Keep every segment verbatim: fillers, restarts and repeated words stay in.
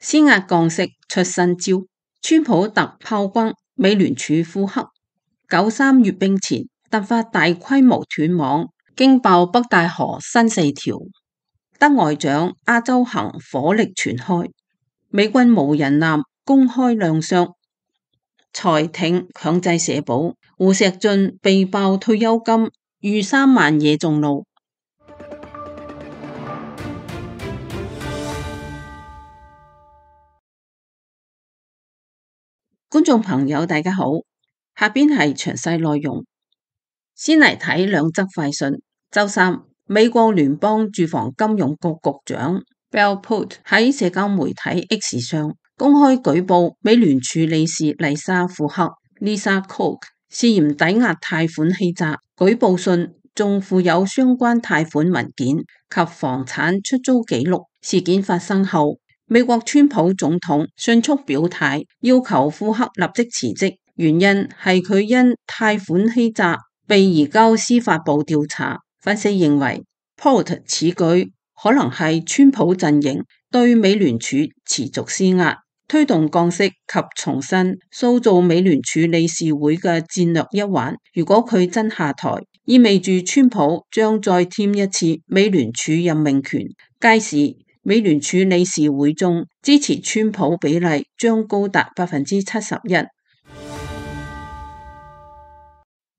施壓降息出新招，川普特炮轟美聯儲庫克，九三閱兵前突發大規模斷網，驚爆北戴河新四條。德外長亞洲行火力全開，美軍無人艦公開亮相，財艇強制社保，胡錫進被爆退休金逾三萬惹眾怒。觀眾朋友大家好，下邊係詳細內容。先嚟睇兩則快訊。周三，美國聯邦住房金融局局長 Bill Putt 喺社交媒體 X 上公開舉報美聯儲理事麗莎庫克 Lisa Cook 涉嫌抵押貸款欺詐，舉報信仲附有相關貸款文件及房產出租記錄。事件發生後，美國川普總統迅速表態，要求庫克立即辭職，原因係佢因貸款欺詐被移交司法部調查。分析認為 Putt 此舉可能係川普陣營對美聯儲持續施壓，推動降息及重新塑造美聯儲理事會嘅戰略一環。如果佢真下台，意味住川普將再添一次美聯儲任命權，屆時美聯儲理事會中支持川普比例將高達百分之七十一。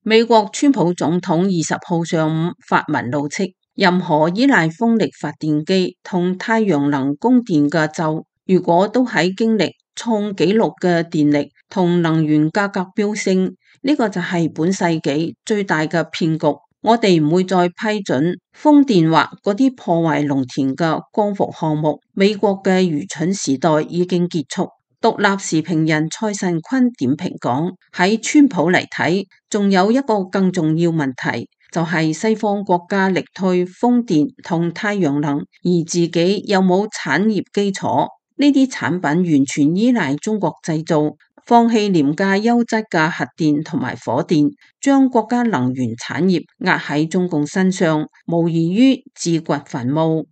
美國川普總統二十號上午發文怒斥，任何依賴風力發電機同太陽能供電嘅州，如果都喺經歷創紀錄嘅電力同能源價格飆升，呢個就係本世紀最大嘅騙局。我哋唔會再批准風電或嗰啲破壞農田嘅光伏項目。美國嘅愚蠢時代已經結束。獨立時評人蔡慎坤點評講，喺川普嚟睇，仲有一個更重要問題，就係西方國家力推風電同太陽能，而自己有冇產業基礎？呢啲產品完全依賴中國製造，放棄廉價優質嘅核電同埋火電，將國家能源產業壓喺中共身上，無異於自掘墳墓。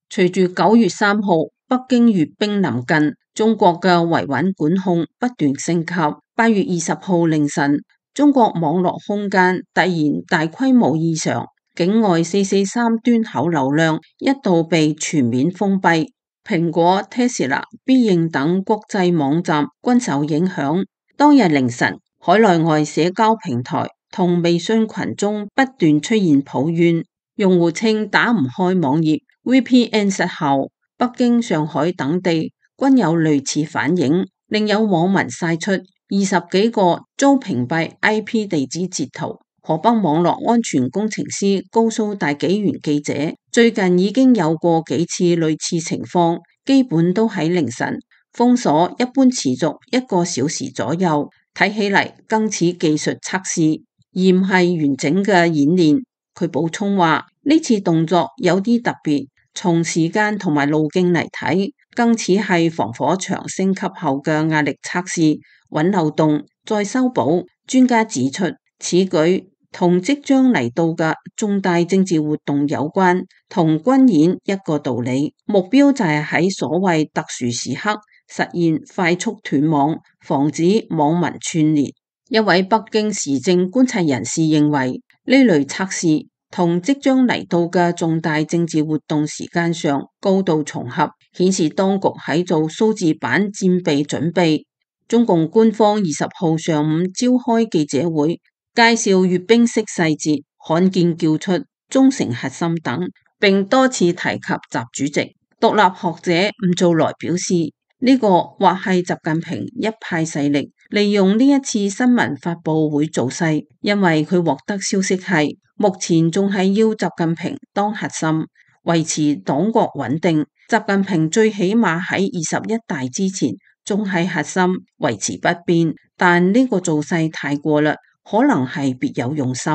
隨住九月三號北京閱兵臨近，中國嘅維穩管控不斷升級。八月二十號凌晨，中國網絡空間突然大規模異常，境外四四三端口流量一度被全面封閉，蘋果、Tesla、必應等國際網站均受影響。當日凌晨，海內外社交平台同微信群中不斷出現抱怨，用戶稱打唔開網頁、V P N 失效。北京、上海等地均有類似反應，另有網民晒出二十幾個遭屏蔽 I P 地址截圖。河北網絡安全工程師高蘇大紀元記者最近已經有過幾次類似情況，基本都喺凌晨。封鎖一般持續一個小時左右，睇起嚟更似技術測試，而唔係完整嘅演練。佢補充話，呢次動作有啲特別，從時間同埋路徑嚟睇，更似係防火牆升級後嘅壓力測試，揾漏洞再修補。專家指出，此舉同即將嚟到嘅重大政治活動有關，同軍演一個道理，目標就係喺所謂特殊時刻實現快速斷網，防止網民串聯。一位北京時政觀察人士認為，呢類測試同即將嚟到嘅重大政治活動時間上高度重合，顯示當局喺做數字版戰備準備。中共官方二十號上午召開記者會，介紹閱兵式細節，罕見叫出忠誠核心等，並多次提及習主席。獨立學者吳造來表示，呢個或係習近平一派勢力利用呢一次新聞發佈會造勢，因為佢獲得消息係目前仲係要習近平當核心，維持黨國穩定。習近平最起碼喺二十一大之前仲係核心，維持不變，但呢個造勢太過啦，可能係別有用心。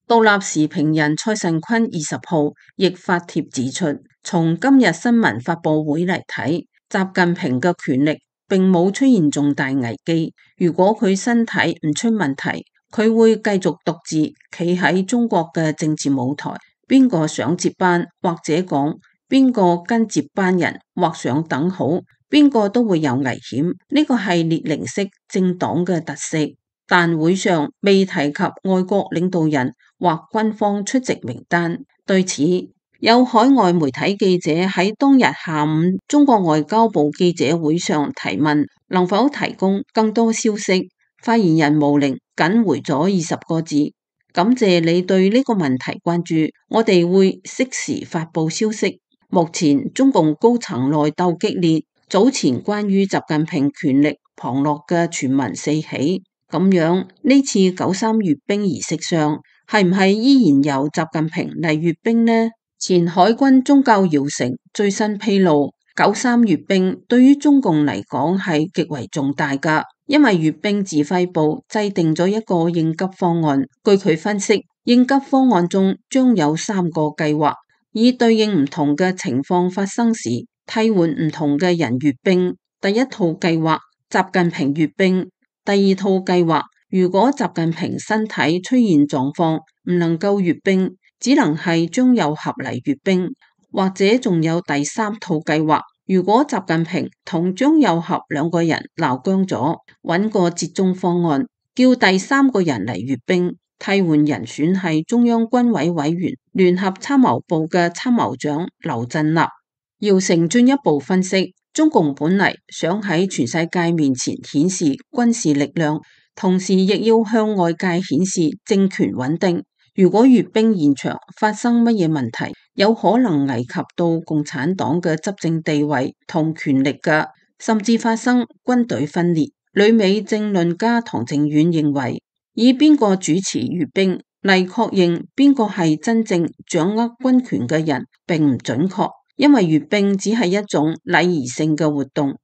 獨立時評人蔡慎坤二十號亦發帖指出，從今日新聞發佈會嚟睇，習近平嘅權力並冇出現重大危機。如果佢身體唔出問題，佢會繼續獨自企喺中國嘅政治舞台。邊個想接班，或者講邊個跟接班人畫上等號，邊個都會有危險。呢個係列寧式政黨嘅特色。但會上未提及外國領導人或軍方出席名單。對此，有海外媒體記者喺當日下午中國外交部記者會上提問，能否提供更多消息？發言人毛寧僅回咗二十個字：感謝你對呢個問題關注，我哋會適時發佈消息。目前中共高層內鬥激烈，早前關於習近平權力旁落嘅傳聞四起，咁樣呢次九三閱兵儀式上係唔係依然由習近平嚟閱兵呢？前海軍中校姚成最新披露，九三閱兵對於中共嚟講係極為重大噶，因為閱兵指揮部制定咗一個應急方案。據佢分析，應急方案中將有三個計劃，以對應唔同嘅情況發生時，替換唔同嘅人閱兵。第一套計劃，習近平閱兵；第二套計劃，如果習近平身體出現狀況，唔能夠閱兵，只能係張又俠嚟閱兵。或者仲有第三套計劃，如果習近平同張又俠兩個人鬧僵咗，揾個折中方案，叫第三個人嚟閱兵，替換人選係中央軍委委員、聯合參謀部嘅參謀長劉振立。姚成進一步分析，中共本嚟想喺全世界面前顯示軍事力量，同時亦要向外界顯示政權穩定。如果閱兵現場發生乜嘢問題，有可能危及到共產黨嘅執政地位同權力嘅，甚至發生軍隊分裂。旅美政論家唐靖遠認為，以邊個主持閱兵嚟確認邊個係真正掌握軍權嘅人並唔準確，因為閱兵只係一種禮儀性嘅活動。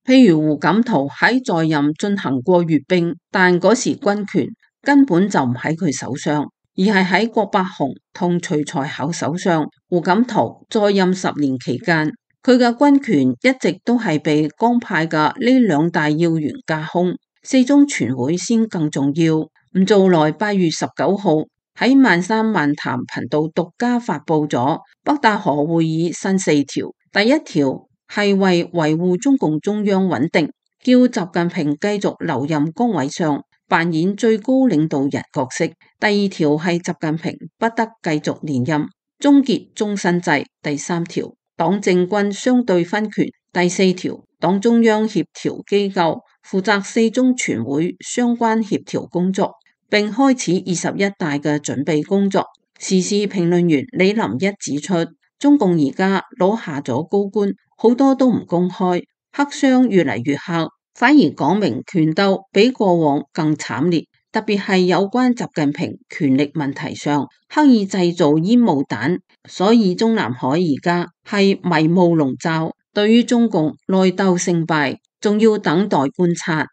譬如胡錦濤喺在，在任進行過閱兵，但嗰時軍權根本就唔喺佢手上，而係喺郭伯雄同徐才厚手上。胡錦濤在任十年期間，佢嘅軍權一直都係被江派嘅呢兩大要員架空。四中全會先更重要，唔做來八月十九號喺萬山萬談頻道獨家發佈咗北戴河會議新四條。第一條係為維護中共中央穩定，叫習近平繼續留任崗位上，扮演最高領導人角色。第二條係習近平不得繼續連任，終結終身制。第三條，黨政軍相對分權。第四條，黨中央協調機構負責四中全會相關協調工作，並開始二十一大嘅準備工作。時事評論員李林一指出，中共而家攞下咗高官，好多都唔公開，黑箱越嚟越黑，反而講明權鬥比過往更慘烈。特別係有關習近平權力問題上，刻意製造煙霧彈，所以中南海而家係迷霧籠罩。對於中共內鬥勝敗，仲要等待觀察。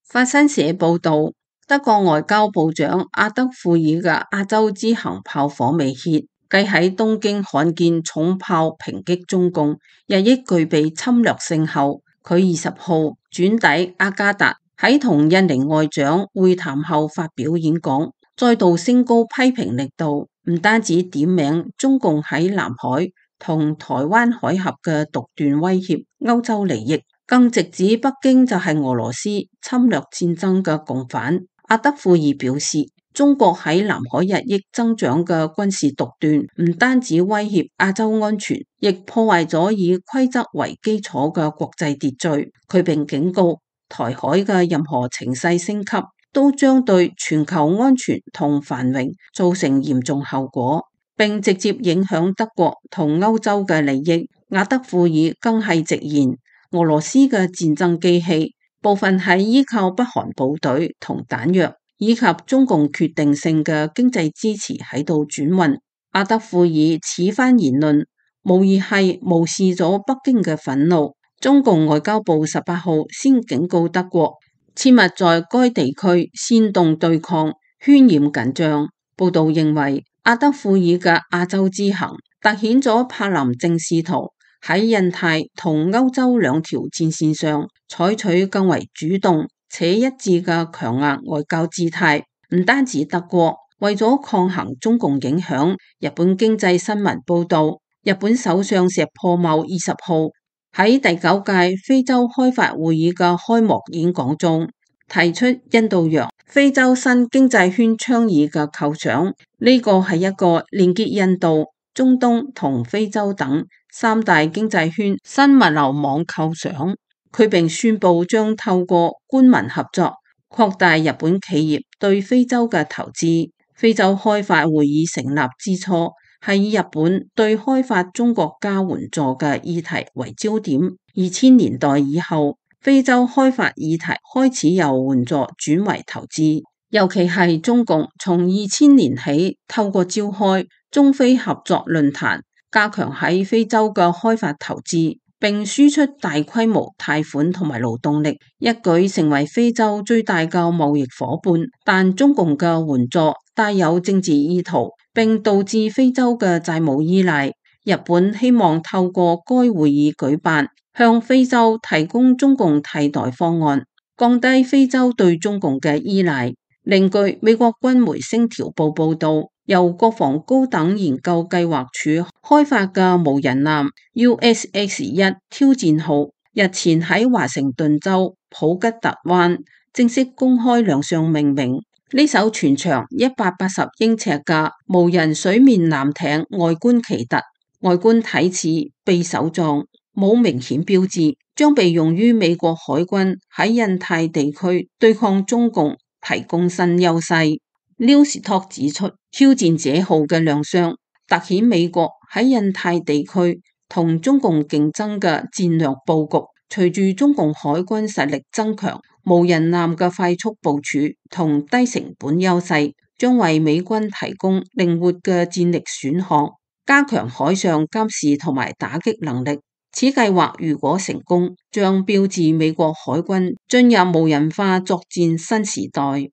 法新社報道，德國外交部長阿德富爾嘅亞洲之行炮火未歇，繼喺東京罕見重炮抨擊中共日益具備侵略性後，佢二十號轉抵雅加達，喺同印尼外長會談後發表演講，再度升高批評力度，唔單止點名中共喺南海同台灣海峽嘅獨斷威脅歐洲利益，更直指北京就係俄羅斯侵略戰爭嘅共犯。阿德富爾表示，中國喺南海日益增長嘅軍事獨斷，唔單止威脅亞洲安全，亦破壞咗以規則為基礎嘅國際秩序。佢並警告，台海嘅任何情勢升級，都將對全球安全同繁榮造成嚴重後果，並直接影響德國同歐洲嘅利益。阿德富爾更係直言，俄羅斯嘅戰爭機器部分係依靠北韓部隊同彈藥，以及中共決定性嘅經濟支持喺度轉運。阿德富爾此番言論無疑係無視咗北京嘅憤怒。中共外交部十八號先警告德國，切勿在該地區煽動對抗，渲染緊張。報道認為，阿德富爾嘅亞洲之行凸顯咗柏林正試圖喺印太同歐洲兩條戰線上採取更為主動且一致嘅強硬外交姿態。唔單止德國，為咗抗衡中共影響，日本經濟新聞報道，日本首相石破茂二十號喺第九屆非洲開發會議嘅開幕演講中，提出印度洋非洲新經濟圈倡議嘅構想，呢個係一個連結印度、中東同非洲等三大經濟圈新物流網構想。佢並宣布將透過官民合作，擴大日本企業對非洲嘅投資。非洲開發會議成立之初，係以日本對開發中國家援助嘅議題為焦點。二千年代以後，非洲開發議題開始由援助轉為投資，尤其係中共從二千年起透過召開中非合作論壇，加強喺非洲嘅開發投資，並輸出大規模貸款同埋勞動力，一舉成為非洲最大嘅貿易夥伴。但中共嘅援助帶有政治意圖，並導致非洲嘅債務依賴。日本希望透過該會議舉辦，向非洲提供中共替代方案，降低非洲對中共嘅依賴。另據美國軍媒星條報報道，由國防高等研究計劃署開發嘅無人艦 U S X 一挑戰號日前喺華盛頓州普吉特灣正式公開亮相命名。呢艘全長一百八十英尺嘅無人水面艦艇外觀奇特，外觀睇似匕首狀，冇明顯標誌，將被用於美國海軍喺印太地區對抗中共提供新優勢。Newstalk 指出，挑戰者號嘅亮相凸顯美國喺印太地區同中共競爭嘅戰略佈局。隨住中共海軍實力增強，無人艦嘅快速部署同低成本優勢，將為美軍提供靈活嘅戰力選項，加強海上監視同埋打擊能力。此計劃如果成功，將標誌美國海軍進入無人化作戰新時代。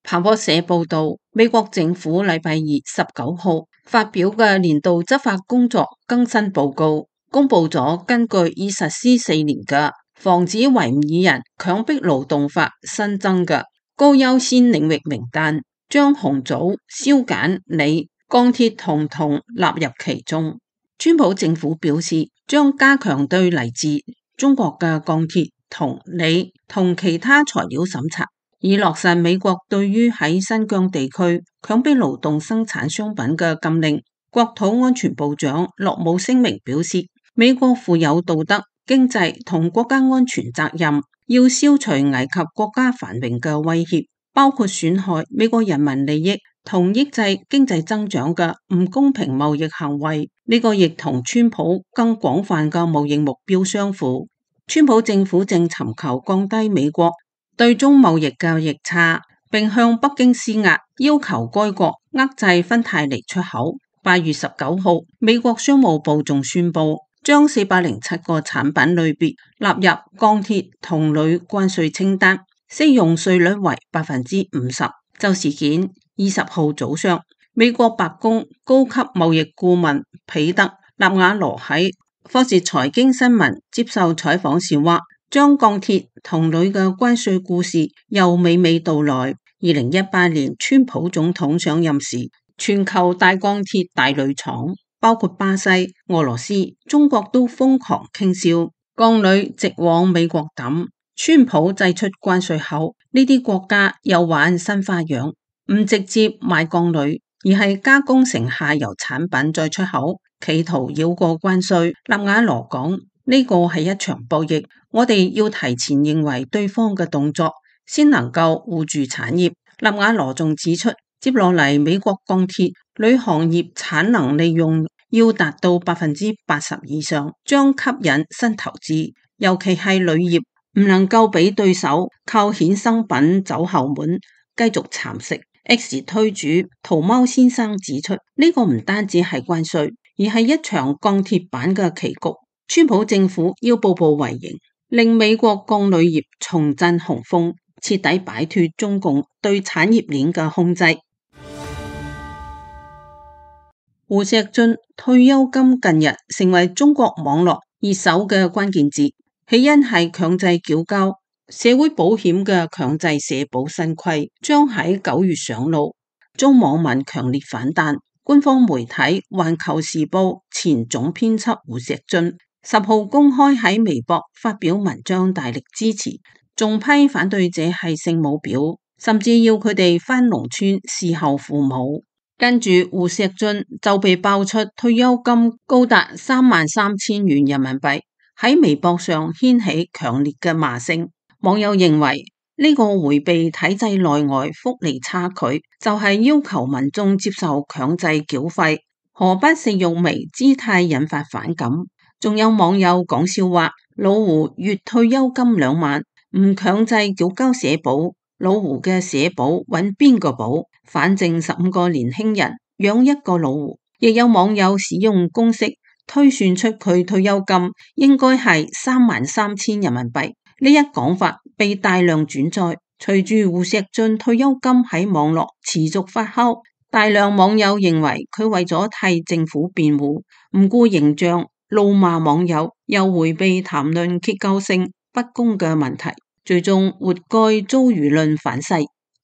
彭博社報道，美國政府禮拜二十九號發表嘅年度執法工作更新報告，公布咗根據已實施四年嘅防止維吾爾人強迫勞動法新增嘅高優先領域名單，將紅棗、燒鹼、鋰、鋼鐵同銅納入其中。川普政府表示，將加強對嚟自中國嘅鋼鐵、銅、鋰同其他材料審查，以落實美國對於喺新疆地區強迫勞動生產商品嘅禁令。國土安全部長洛姆聲明表示，美國負有道德、經濟同國家安全責任，要消除危及國家繁榮嘅威脅，包括損害美國人民利益同抑制經濟增長嘅唔公平貿易行為。呢個亦同川普更廣泛嘅貿易目標相符。川普政府正尋求降低美國對中貿易嘅逆差，並向北京施壓，要求該國遏制芬太尼出口。八月十九號，美國商務部仲宣布將四百零七個產品類別納入鋼鐵、銅、鋁關稅清單，適用稅率為百分之五十。就事件，二十號早上，美國白宮高級貿易顧問彼得納瓦羅喺霍士財經新聞接受採訪時話，將鋼鐵、銅、鋁嘅關稅故事又娓娓道來。二零一八年川普總統上任時，全球大鋼鐵大鋁廠，包括巴西、俄羅斯、中國都瘋狂傾銷鋼鋁直往美國抌。川普祭出關稅後，呢啲國家又玩新花樣，唔直接賣鋼鋁，而係加工成下游產品再出口，企圖繞過關稅。納瓦羅講，呢個係一場博弈，我哋要提前認為對方嘅動作，先能夠護住產業。納瓦羅仲指出，接落嚟美國鋼鐵鋁行業產能利用要達到百分之八十以上，將吸引新投資，尤其係鋁業唔能夠俾對手靠衍生品走後門，繼續蠶食。X 推主桃貓先生指出，呢個唔單止係關稅，而係一場鋼鐵板嘅棋局。川普政府要步步為營，令美國鋼鋁業重振雄風，徹底擺脫中共對產業鏈嘅控制。胡錫進退休金近日成為中國網絡熱搜嘅關鍵字，起因係強制繳交社會保險嘅強制社保新規將喺九月上路，遭網民強烈反彈。官方媒體《環球時報》前總編輯胡錫進十號公開喺微博發表文章，大力支持，仲批反對者係聖母婊，甚至要佢哋返農村侍候父母。跟住胡錫進就被爆出退休金高達三萬三千元人民幣，喺微博上掀起強烈嘅罵聲。網友認為呢個迴避體制內外福利差距，就係要求民眾接受強制繳費，何不食肉糜姿態引發反感。仲有網友講笑話，老胡月退休金兩萬，唔強制繳交社保，老胡嘅社保揾邊個保？反正十五個年輕人養一個老胡。亦有網友使用公式推算出佢退休金應該係三萬三千人民幣。呢一講法被大量轉載，隨住胡錫進退休金喺網絡持續發酵，大量網友認為佢為咗替政府辯護，唔顧形象，怒罵網友，又迴避談論結構性不公嘅問題，最終活該遭輿論反噬。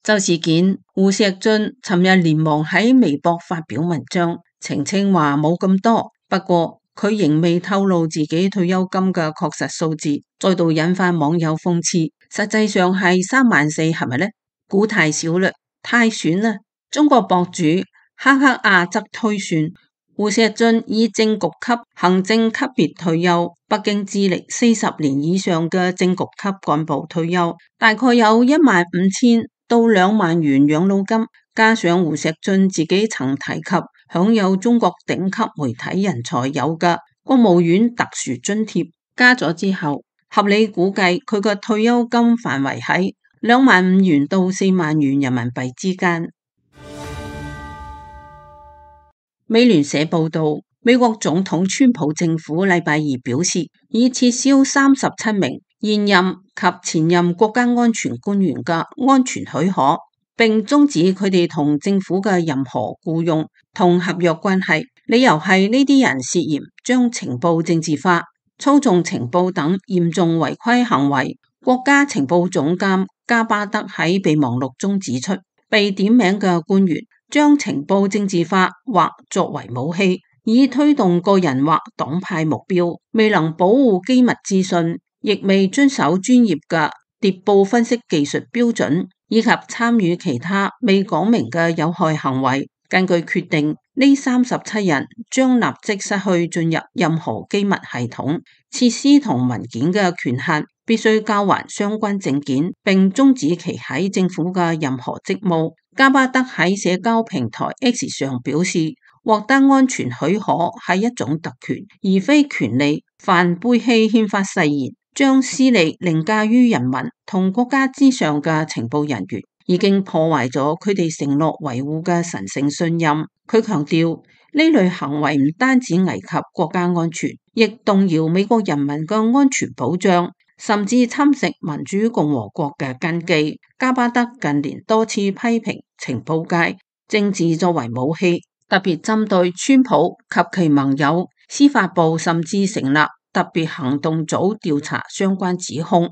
就事件，胡錫進尋日連忙喺微博發表文章，澄清話冇咁多，不過佢仍未透露自己退休金嘅確實數字，再度引發網友諷刺。實際上係三萬四，係咪呢？估太少啦，太損啦！中國博主哈克亞則推算，胡錫進以正局級行政級別退休，北京資歷四十年以上嘅正局級幹部退休，大概有一萬五千到兩萬元養老金，加上胡錫進自己曾提及享有中國頂級媒體人才有嘅國務院特殊津貼，加咗之後，合理估計佢嘅退休金範圍喺兩萬五元到四萬元人民幣之間。美聯社報道，美國總統川普政府禮拜二表示，已撤銷三十七名現任及前任國家安全官員嘅安全許可，並終止佢哋同政府嘅任何僱傭同合約關係。理由係呢啲人涉嫌將情報政治化、操縱情報等嚴重違規行為。國家情報總監加巴德喺備忘錄中指出，被點名嘅官員將情報政治化或作為武器，以推動個人或黨派目標，未能保護機密資訊，亦未遵守專業嘅諜報分析技術標準，以及參與其他未講明嘅有害行為。根據決定，呢三十七人將立即失去進入任何機密系統、設施同文件嘅權限，必須交還相關證件，並終止其喺政府嘅任何職務。加巴德喺社交平台 X 上表示，獲得安全許可係一種特權，而非權利。凡背棄憲法誓言、將私利凌駕於人民同國家之上嘅情報人員，已經破壞咗佢哋承諾維護嘅神聖信任。佢強調，呢類行為唔單止危及國家安全，亦動搖美國人民嘅安全保障，甚至侵蝕民主共和國嘅根基。加巴德近年多次批評情報界政治作為武器，特別針對川普及其盟友，司法部甚至成立特別行動組調查相關指控。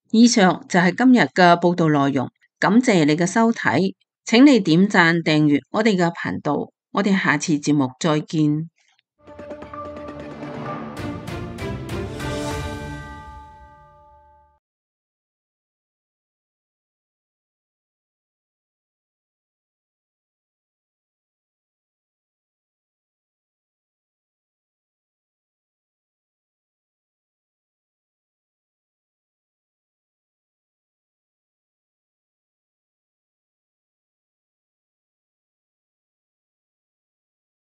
以上就係今日嘅報道內容，感謝你嘅收睇，請你點讚訂閱我哋嘅頻道，我哋下次節目再見。